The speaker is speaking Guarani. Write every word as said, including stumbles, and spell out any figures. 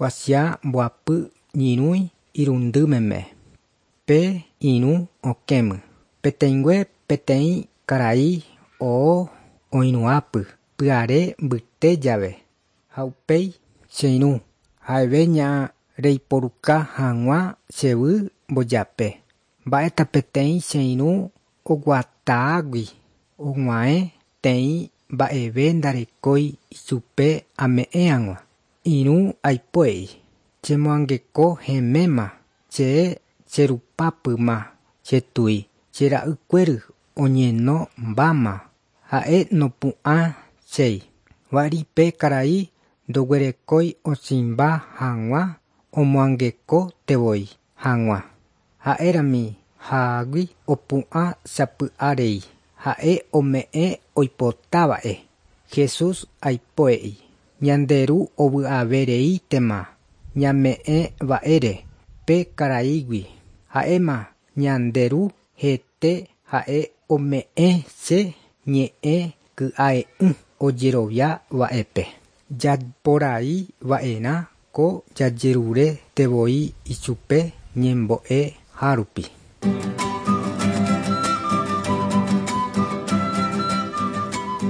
Kuatia mbohapy ñyrỹi irundy meme. Pe irũ okẽme. Peteĩngue peteĩ karai oo oirũhápe pyhare mbyte jave ha upéi che irũ ha'eve ña reiporuka hag̃ua chéve mbojape. Mba'éta peteĩ che irũ oguatágui og̃uahẽ teĩ mba'eve ndarekói ichupe ame'ẽ hag̃ua. Irũ aipo'ei chemoangekohẽméma che cherupápyma chetũi che ra'ykuéry oñenombáma ha'e nopu'ãchéi. Va'erã pe karai ndoguerekói osẽmba hag̃ua omoangekontevoi hag̃ua. Ha'érami hágui opu'ãsapy'arei ha'e ome'ẽ oipotáva'e. Jesús aipo'ei ñande ru ovy'avereíntema ñame'ẽva'ére pe karaígui. Ha'éma ñande ru hete ha'e ome'ẽ che ñe'ẽ ky'a'e'ỹ ojeroviáva'epe. Japoraiva'erã ko jajeruréntevoi ichupe ñembo'e hárupi.